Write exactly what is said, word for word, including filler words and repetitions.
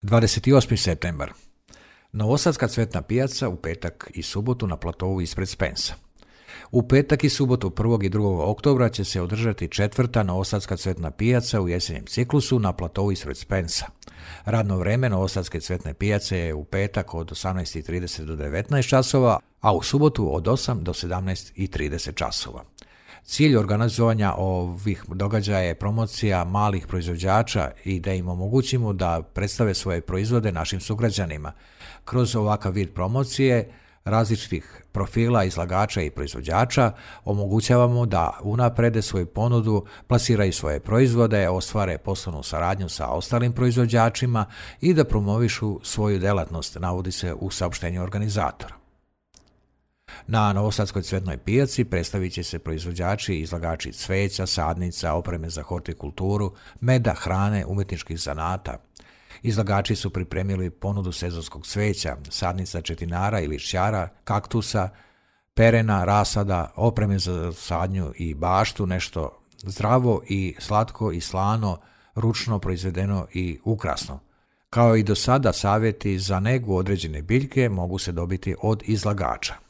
dvadeset osmi septembar. Novosadska cvetna pijaca u petak i subotu na platovu ispred Spensa. U petak i subotu prvog i drugog oktobra će se održati četvrta Novosadska cvetna pijaca u jesenjem ciklusu na platovu ispred Spensa. Radno vreme Novosadske cvetne pijace je u petak od osamnaest i trideset do devetnaest časova, a u subotu od osam do sedamnaest i trideset časova. Cilj organizovanja ovih događaja je promocija malih proizvođača i da im omogućimo da predstave svoje proizvode našim sugrađanima. Kroz ovakav vid promocije različitih profila izlagača i proizvođača omogućavamo da unaprede svoju ponudu, plasiraju svoje proizvode, ostvare poslovnu saradnju sa ostalim proizvođačima i da promovišu svoju delatnost, navodi se u saopštenju organizatora. Na Novosadskoj cvetnoj pijaci predstavit će se proizvođači i izlagači cveća, sadnica, opreme za hortikulturu, meda, hrane, umetničkih zanata. Izlagači su pripremili ponudu sezonskog cveća, sadnica četinara i lišćara, kaktusa, perena, rasada, opreme za sadnju i baštu, nešto zdravo i slatko i slano, ručno proizvedeno i ukrasno. Kao i do sada, savjeti za negu određene biljke mogu se dobiti od izlagača.